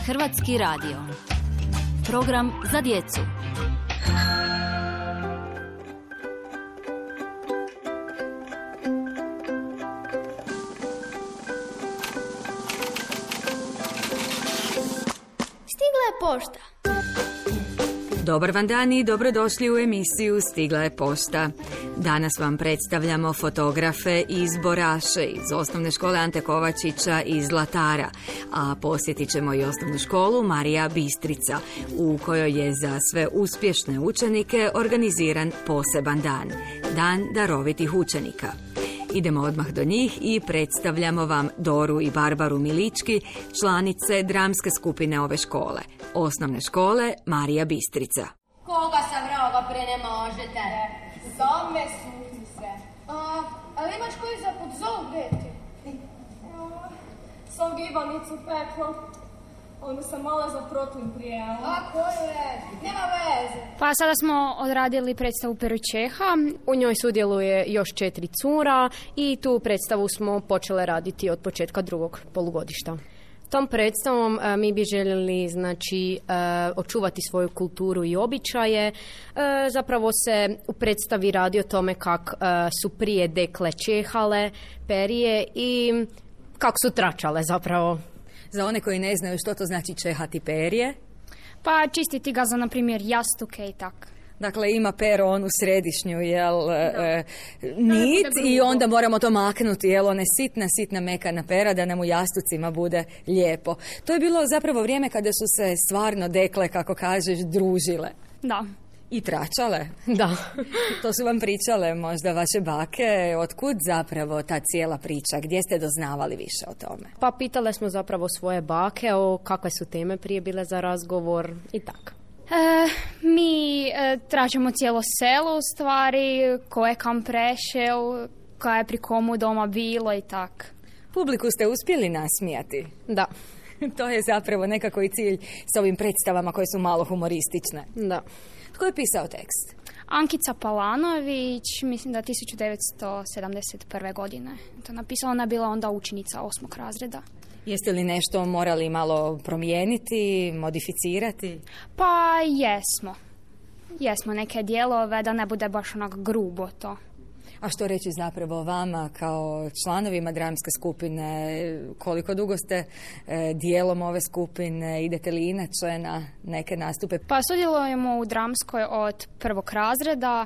Hrvatski radio. Program za djecu. Stigla je pošta. Dobar vam dan i dobrodošli u emisiju Stigla je pošta. Danas vam predstavljamo fotografe iz Boraše, iz osnovne škole Ante Kovačića iz Zlatara, a posjetit ćemo i osnovnu školu Marija Bistrica, u kojoj je za sve uspješne učenike organiziran poseban dan, Dan darovitih učenika. Idemo odmah do njih i predstavljamo vam Doru i Barbaru Milički, članice dramske skupine ove škole, osnovne škole Marija Bistrica. Koga sam roga pre ne možete? Same suci se. Ali imaš koji za pod zovu deti? Sam gibanicu pekla. Onda sam mala za protlin prijela. A koju veze? Nema veze. Pa sada smo odradili predstavu Pero Čeha. U njoj sudjeluje još 4 cura i tu predstavu smo počele raditi od početka drugog polugodišta. Tom predstavom mi bi željeli očuvati svoju kulturu i običaje. Zapravo se u predstavi radi o tome kako su prije dekle čehale, perije i kako su tračale zapravo. Za one koji ne znaju što to znači čehati perje. Pa čistiti ga za, na primjer, jastuke i tak. Dakle, ima pero onu središnju, nit i onda moramo to maknuti, one sitna mekana pera da nam u jastucima bude lijepo. To je bilo zapravo vrijeme kada su se stvarno dekle, kako kažeš, družile. Da. I tračale. Da. To su vam pričale možda vaše bake. Otkud zapravo ta cijela priča? Gdje ste doznavali više o tome? Pa pitale smo zapravo svoje bake o kakve su teme prije bile za razgovor i tako. Mi tražimo cijelo selo u stvari, ko je kam prešel, ko je pri komu doma bilo i tak. Publiku ste uspjeli nasmijati? Da. To je zapravo nekako i cilj s ovim predstavama koje su malo humoristične. Da. Tko je pisao tekst? Ankica Palanović, mislim da 1971. godine. To napisala, ona je bila onda učenica 8. razreda. Jeste li nešto morali malo promijeniti, modificirati? Pa jesmo neke dijelove, da ne bude baš onak grubo to. A što reći zapravo vama kao članovima dramske skupine? Koliko dugo ste dijelom ove skupine? Idete li inače na neke nastupe? Pa sudjelujemo u dramskoj od 1. razreda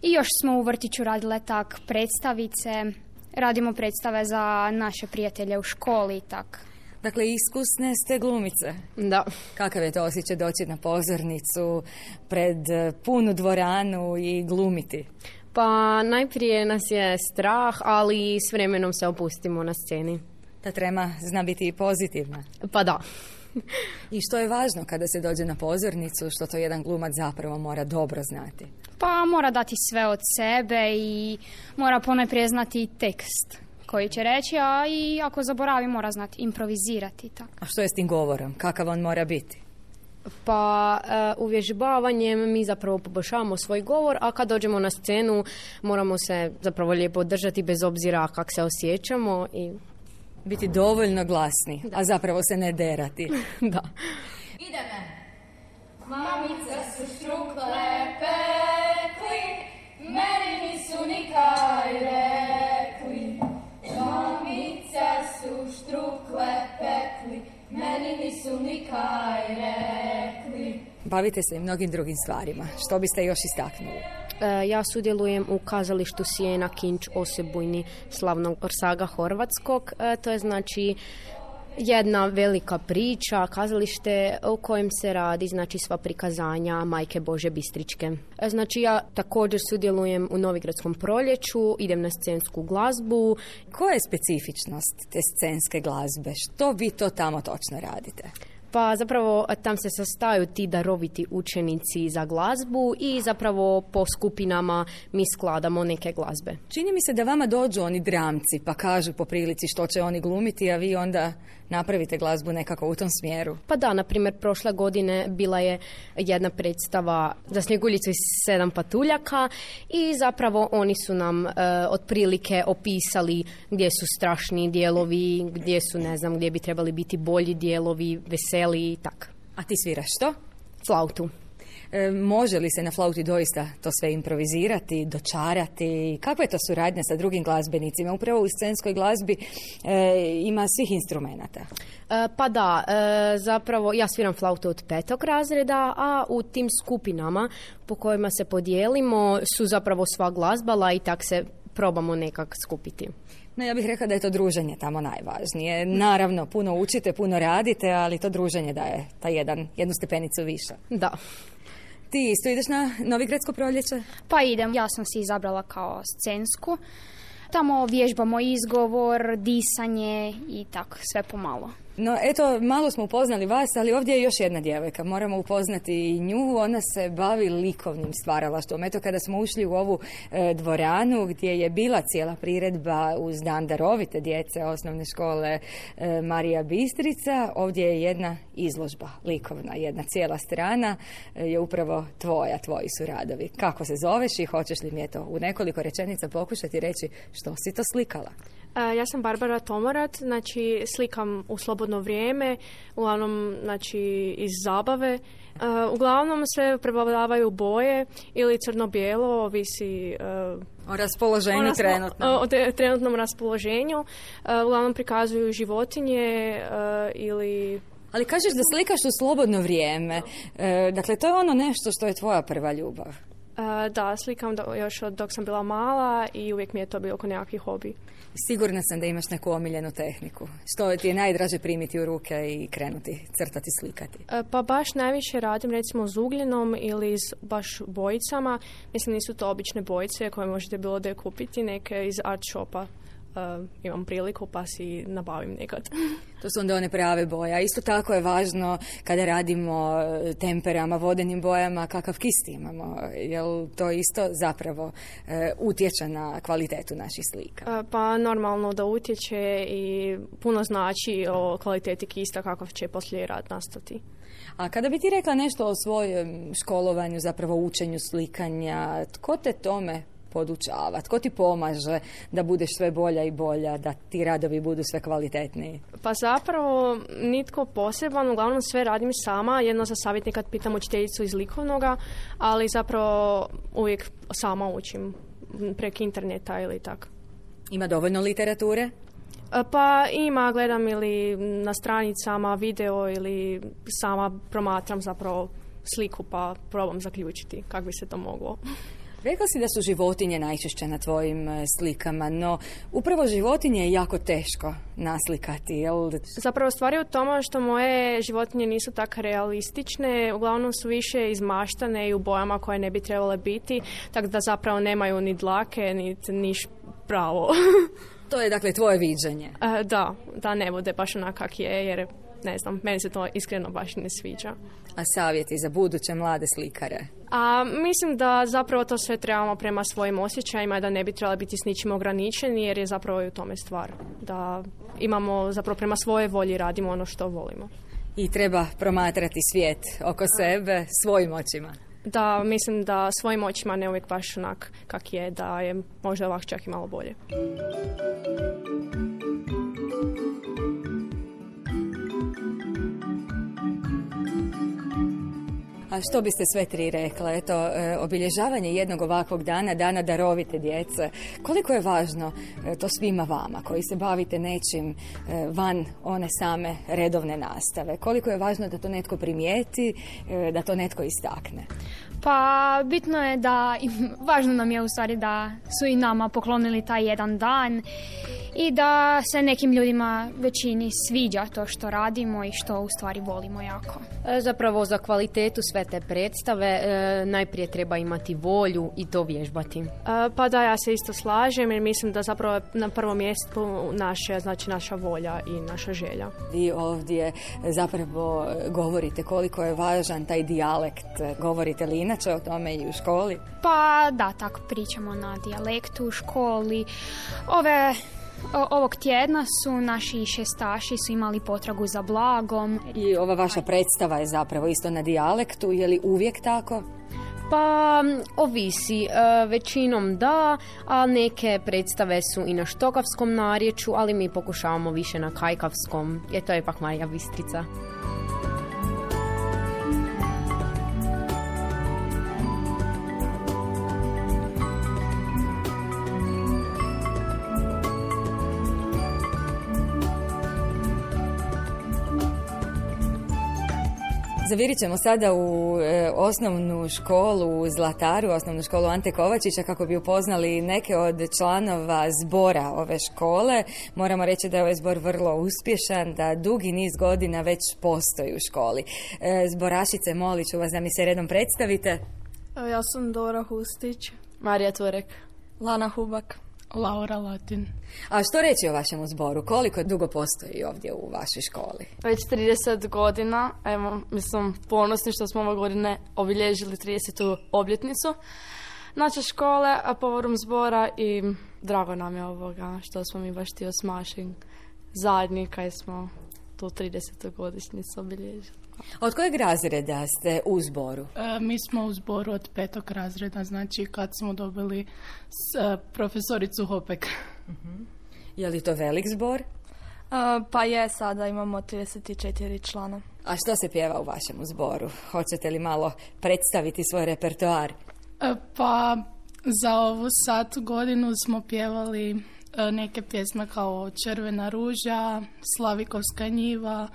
i još smo u vrtiću radile tak predstavice. Radimo predstave za naše prijatelje u školi i tak. Dakle, iskusne ste glumice. Da. Kakav je to osjećaj doći na pozornicu pred punu dvoranu i glumiti? Pa najprije nas je strah, ali s vremenom se opustimo na sceni. Ta trema zna biti i pozitivna. Pa da. I što je važno kada se dođe na pozornicu, što to jedan glumac zapravo mora dobro znati? Pa mora dati sve od sebe i mora ponajprije znati tekst koji će reći, a i ako zaboravi mora znati improvizirati. Tako. A što je s tim govorom? Kakav on mora biti? Pa uvježbavanjem mi zapravo poboljšavamo svoj govor, a kad dođemo na scenu moramo se zapravo lijepo držati bez obzira kako se osjećamo i biti dovoljno glasni, da. A zapravo se ne derati. Da. Ideme. Mamice su štrukle pekli, meni nisu nikaj rekli. Mamice su štrukle pekli, meni nisu nikaj rekli. Bavite se i mnogim drugim stvarima. Što biste još istaknuli? Ja sudjelujem u kazalištu Sijena Kinč Osebujni slavnog Orsaga Horvatskog. To je znači jedna velika priča, kazalište u kojem se radi sva prikazanja Majke Bože Bistričke. Znači ja također sudjelujem u Novigradskom proljeću, idem na scensku glazbu. Koja je specifičnost te scenske glazbe? Što vi to tamo točno radite? Pa zapravo tam se sastaju ti daroviti učenici za glazbu i zapravo po skupinama mi skladamo neke glazbe. Čini mi se da vama dođu oni dramci pa kažu po prilici što će oni glumiti, a vi onda napravite glazbu nekako u tom smjeru. Pa da, na primjer, prošle godine bila je jedna predstava za Snjeguljicu iz 7 patuljaka i zapravo oni su nam otprilike opisali gdje su strašni dijelovi, gdje su, ne znam, gdje bi trebali biti bolji dijelovi, veseliji ukuleli i tak. A ti sviraš što? Flautu. Može li se na flauti doista to sve improvizirati, dočarati? Kakva je to suradnja sa drugim glazbenicima? Upravo u scenskoj glazbi ima svih instrumenata. Pa da, zapravo ja sviram flautu od 5. razreda, a u tim skupinama po kojima se podijelimo su zapravo sva glazbala i tak se probamo nekak skupiti. No, ja bih rekla da je to druženje tamo najvažnije. Naravno, puno učite, puno radite, ali to druženje daje jednu stepenicu više. Da. Ti isto ideš na Novigradsko proljeće? Pa idem, ja sam si izabrala kao scensku. Tamo vježbamo izgovor, disanje i tako, sve pomalo. No, eto, malo smo upoznali vas, ali ovdje je još jedna djevojka. Moramo upoznati i nju. Ona se bavi likovnim stvaralaštvom. Eto, kada smo ušli u ovu dvoranu gdje je bila cijela priredba uz Dan darovite djece osnovne škole Marija Bistrica, ovdje je jedna izložba likovna, jedna cijela strana je upravo tvoji su radovi. Kako se zoveš i hoćeš li mi eto u nekoliko rečenica pokušati reći što si to slikala? Ja sam Barbara Tomorat, znači slikam u slobodno vrijeme, uglavnom znači iz zabave. Uglavnom sve prevladavaju boje ili crno-bijelo, ovisi o raspoloženju trenutnom. O trenutnom raspoloženju. Uglavnom prikazuju životinje ili... Ali kažeš da slikaš u slobodno vrijeme. Dakle, to je ono nešto što je tvoja prva ljubav. Da, slikam još od dok sam bila mala i uvijek mi je to bilo oko nekakvi hobi. Sigurna sam da imaš neku omiljenu tehniku. Što ti je najdraže primiti u ruke i krenuti crtati, slikati? Pa baš najviše radim recimo s ugljenom ili s baš bojicama. Mislim, nisu to obične bojice koje možete bilo da kupiti, neke iz art shopa. Imam priliku pa si nabavim nekad. To su onda one prave boje. A isto tako je važno kada radimo temperama, vodenim bojama, kakav kist imamo. Jel to isto zapravo utječe na kvalitetu naših slika? Pa normalno da utječe i puno znači o kvaliteti kista kakav će poslije rad nastati. A kada bi ti rekla nešto o svojem školovanju, zapravo učenju slikanja, tko te tome podučava? Tko ti pomaže da budeš sve bolja i bolja, da ti radovi budu sve kvalitetniji? Pa zapravo nitko poseban, uglavnom sve radim sama, jedno za savjet nekad pitam učiteljicu iz likovnoga, ali zapravo uvijek sama učim preko interneta ili tako. Ima dovoljno literature? Pa ima, gledam ili na stranicama video ili sama promatram zapravo sliku pa probam zaključiti kako bi se to moglo. Rekla si da su životinje najčešće na tvojim slikama, no upravo životinje je jako teško naslikati, jel? Zapravo stvar je u tome što moje životinje nisu tako realistične, uglavnom su više izmaštane i u bojama koje ne bi trebale biti, tako da zapravo nemaju ni dlake, ni niš pravo. To je dakle tvoje viđenje? Da ne bude baš onak kak je, jer ne znam, meni se to iskreno baš ne sviđa. A savjeti za buduće mlade slikare? Mislim da zapravo to sve trebamo prema svojim osjećajima, da ne bi trebali biti s ničim ograničeni, jer je zapravo i u tome stvar. Da imamo zapravo prema svoje volji radimo ono što volimo. I treba promatrati svijet oko sebe svojim očima. Da, mislim da svojim očima ne uvijek baš onak kak je, da je možda ovak čak i malo bolje. A što biste sve tri rekla? Eto, obilježavanje jednog ovakvog dana, Dana darovite djece. Koliko je važno to svima vama koji se bavite nečim van one same redovne nastave? Koliko je važno da to netko primijeti, da to netko istakne? Pa bitno je da, važno nam je u stvari da su i nama poklonili taj jedan dan i da se nekim ljudima većini sviđa to što radimo i što u stvari volimo jako. Zapravo za kvalitetu sve te predstave najprije treba imati volju i to vježbati. Pa da, ja se isto slažem jer mislim da zapravo na prvom mjestu naša volja i naša želja. Vi ovdje zapravo govorite koliko je važan taj dijalekt. Govorite li inače o tome i u školi? Pa da, tako pričamo na dijalektu u školi. Ovog tjedna su naši šestaši su imali potragu za blagom. I ova vaša predstava je zapravo isto na dijalektu, je li uvijek tako? Pa ovisi, većinom da, a neke predstave su i na štokavskom narječju, ali mi pokušavamo više na kajkavskom, jer to je ipak Marija Bistrica. Zavirit ćemo sada u osnovnu školu u Zlataru, osnovnu školu Ante Kovačića, kako bi upoznali neke od članova zbora ove škole. Moramo reći da je ovaj zbor vrlo uspješan, da dugi niz godina već postoji u školi. Zborašice, molit ću vas da mi se redom predstavite. Ja sam Dora Hustić. Marija Turek. Lana Hubak. Laura Latin. A što reći o vašem zboru? Koliko dugo postoji ovdje u vašoj školi? Već 30 godina. Evo, mislim, ponosni što smo ove godine obilježili 30. obljetnicu naše škole, a povodom zbora i drago nam je ovoga što smo mi baš ti osmašili zadnji kad smo tu 30. godišnjicu obilježili. Od kojeg razreda ste u zboru? Mi smo u zboru od 5. razreda, znači kad smo dobili profesoricu Hopek. Je li to velik zbor? Pa je, sada imamo 34 člana. A što se pjeva u vašem zboru? Hoćete li malo predstaviti svoj repertoar? Pa za ovu sad godinu smo pjevali neke pjesme kao Červena ruža, Slavikovska njiva,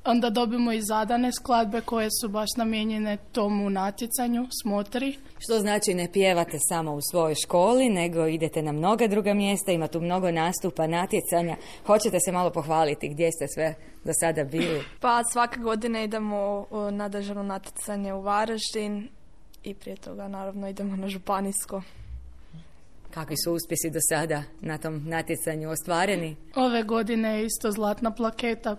onda dobimo i zadane skladbe koje su baš namijenjene tomu natjecanju, smotri. Što znači ne pjevate samo u svojoj školi, nego idete na mnoga druga mjesta, ima tu mnogo nastupa, natjecanja. Hoćete se malo pohvaliti gdje ste sve do sada bili? Pa svake godine idemo na državno natjecanje u Varaždin i prije toga naravno idemo na županijsko. Kakvi su uspjesi do sada na tom natjecanju ostvareni? Ove godine je isto zlatna plaketa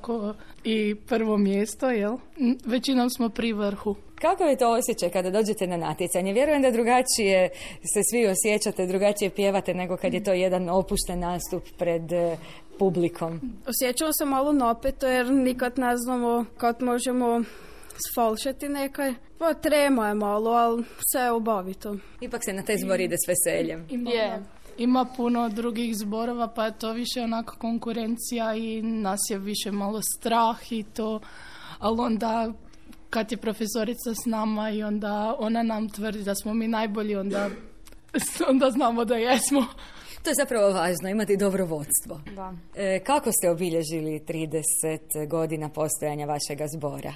i prvo mjesto, jel? Većinom smo pri vrhu. Kako je to osjećaj kada dođete na natjecanje? Vjerujem da drugačije se svi osjećate, drugačije pjevate nego kad je to jedan opušten nastup pred publikom. Osjećamo se malo napeto jer nikad ne znamo kad možemo sfalšati nekaj. Pa trema je malo, ali sve je obavito. Ipak se na taj zbor ide s veseljem. Ima puno drugih zborova, pa je to više onako konkurencija i nas je više malo strah i to, ali onda kad je profesorica s nama i onda ona nam tvrdi da smo mi najbolji, onda znamo da jesmo. To je zapravo važno, imati dobro vodstvo. Da. Kako ste obilježili 30 godina postojanja vašega zbora?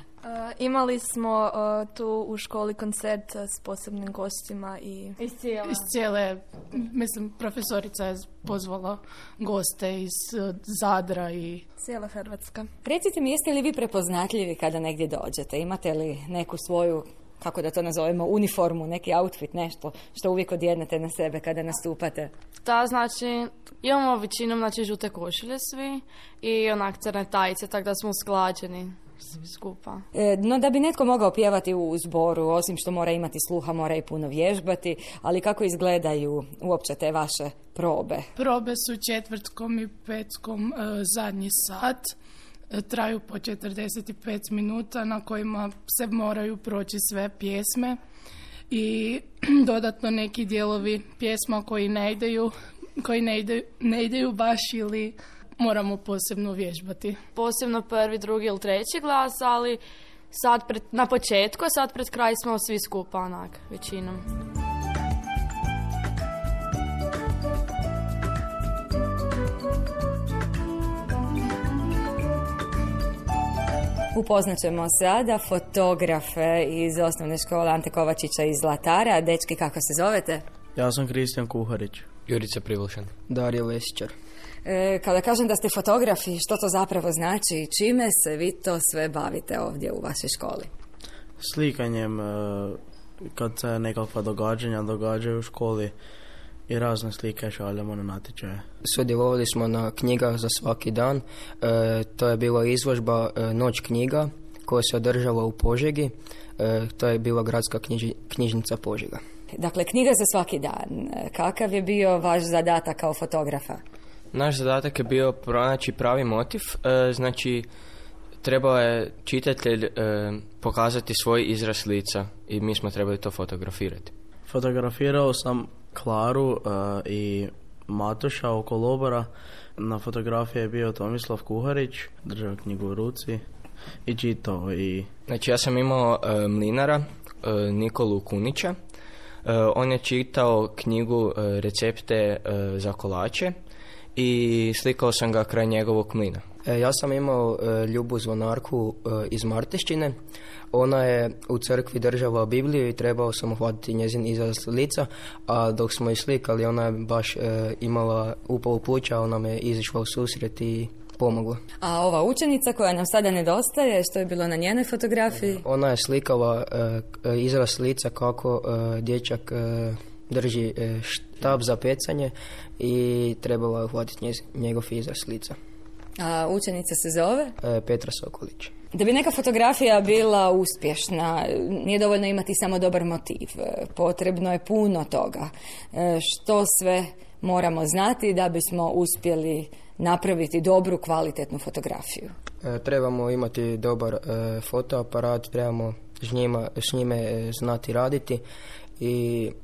Imali smo tu u školi koncert s posebnim gostima i iz cijele, mislim, profesorica je pozvala goste iz Zadra i cijela Hrvatska. Recite mi, jeste li vi prepoznatljivi kada negdje dođete? Imate li neku svoju, kako da to nazovemo, uniformu, neki outfit, nešto što uvijek odjednete na sebe kada nastupate? Da, znači, imamo većinom žute košulje svi i onak crne tajice, tako da smo usklađeni svi skupa. No da bi netko mogao pjevati u zboru, osim što mora imati sluha, mora i puno vježbati, ali kako izgledaju uopće te vaše probe? Probe su četvrtkom i petkom zadnji sat. Traju po 45 minuta na kojima se moraju proći sve pjesme i dodatno neki dijelovi pjesma koji ne ideju baš ili moramo posebno vježbati. Posebno prvi, drugi ili treći glas, ali sad na početku, a sad pred kraj smo svi skupa onak, većinom. Upoznat ćemo sada fotografe iz osnovne škole Ante Kovačića iz Zlatara. Dečki, kako se zovete? Ja sam Kristijan Kuharić. Jurica Privulšan. Darija Lesićar. Kada kažem da ste fotografi, što to zapravo znači i čime se vi to sve bavite ovdje u vašoj školi? Slikanjem, kad se nekakva događanja događaju u školi i razne slike šaljemo na natječaje. Sudjelovali smo na knjigah za svaki dan. To je bila izložba Noć knjiga koja se održala u Požegi. To je bila gradska knjižnica Požega. Dakle, knjiga za svaki dan. Kakav je bio vaš zadatak kao fotografa? Naš zadatak je bio pronaći pravi motiv. Znači, trebao je čitatelj pokazati svoj izraz lica i mi smo trebali to fotografirati. Fotografirao sam Klaru i Matoša oko lobora. Na fotografiji je bio Tomislav Kuharić, držao knjigu u ruci i čitao. Znači, ja sam imao mlinara Nikolu Kunića. On je čitao knjigu Recepte za kolače i slikao sam ga kraj njegovog mlina. Ja sam imao Ljubu Zvonarku iz Martešćine. Ona je u crkvi držala Bibliju i trebao sam uhvatiti njezin izraz lica, a dok smo ju slikali ona je baš imala upalu pluća, ona me izišla u susret i pomogla. A ova učenica koja nam sada nedostaje, što je bilo na njenoj fotografiji? Ona je slikala izraz lica kako dječak drži štab za pecanje i trebala je uhvatiti njegov izraz lica. A učenica se zove? Petra Sokolić. Da bi neka fotografija bila uspješna, nije dovoljno imati samo dobar motiv. Potrebno je puno toga. Što sve moramo znati da bismo uspjeli napraviti dobru, kvalitetnu fotografiju? Trebamo imati dobar fotoaparat, trebamo s njime znati raditi.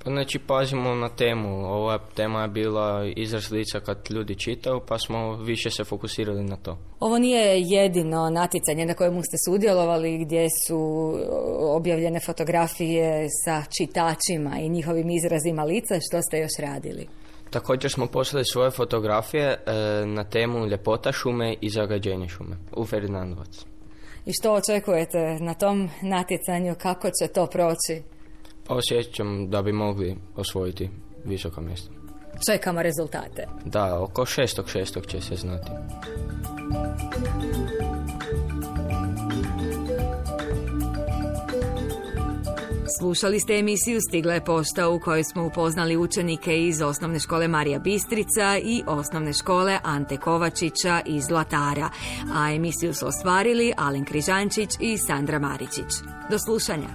Znači pazimo na temu. Ova tema je bila izraz lica kad ljudi čitaju, pa smo više se fokusirali na to. Ovo nije jedino natjecanje na kojemu ste sudjelovali, gdje su objavljene fotografije sa čitačima i njihovim izrazima lica. Što ste još radili? Također smo poslali svoje fotografije na temu ljepota šume i zagađenje šume u Ferdinandovac. I što očekujete na tom natjecanju? Kako će to proći? Pa osjećam da bi mogli osvojiti visoka mjesta. Čekamo rezultate. Da, oko 6.6. će se znati. Slušali ste emisiju Stigla je pošta u kojoj smo upoznali učenike iz osnovne škole Marija Bistrica i osnovne škole Ante Kovačića iz Zlatara. A emisiju su ostvarili Alen Križančić i Sandra Maričić. Do slušanja.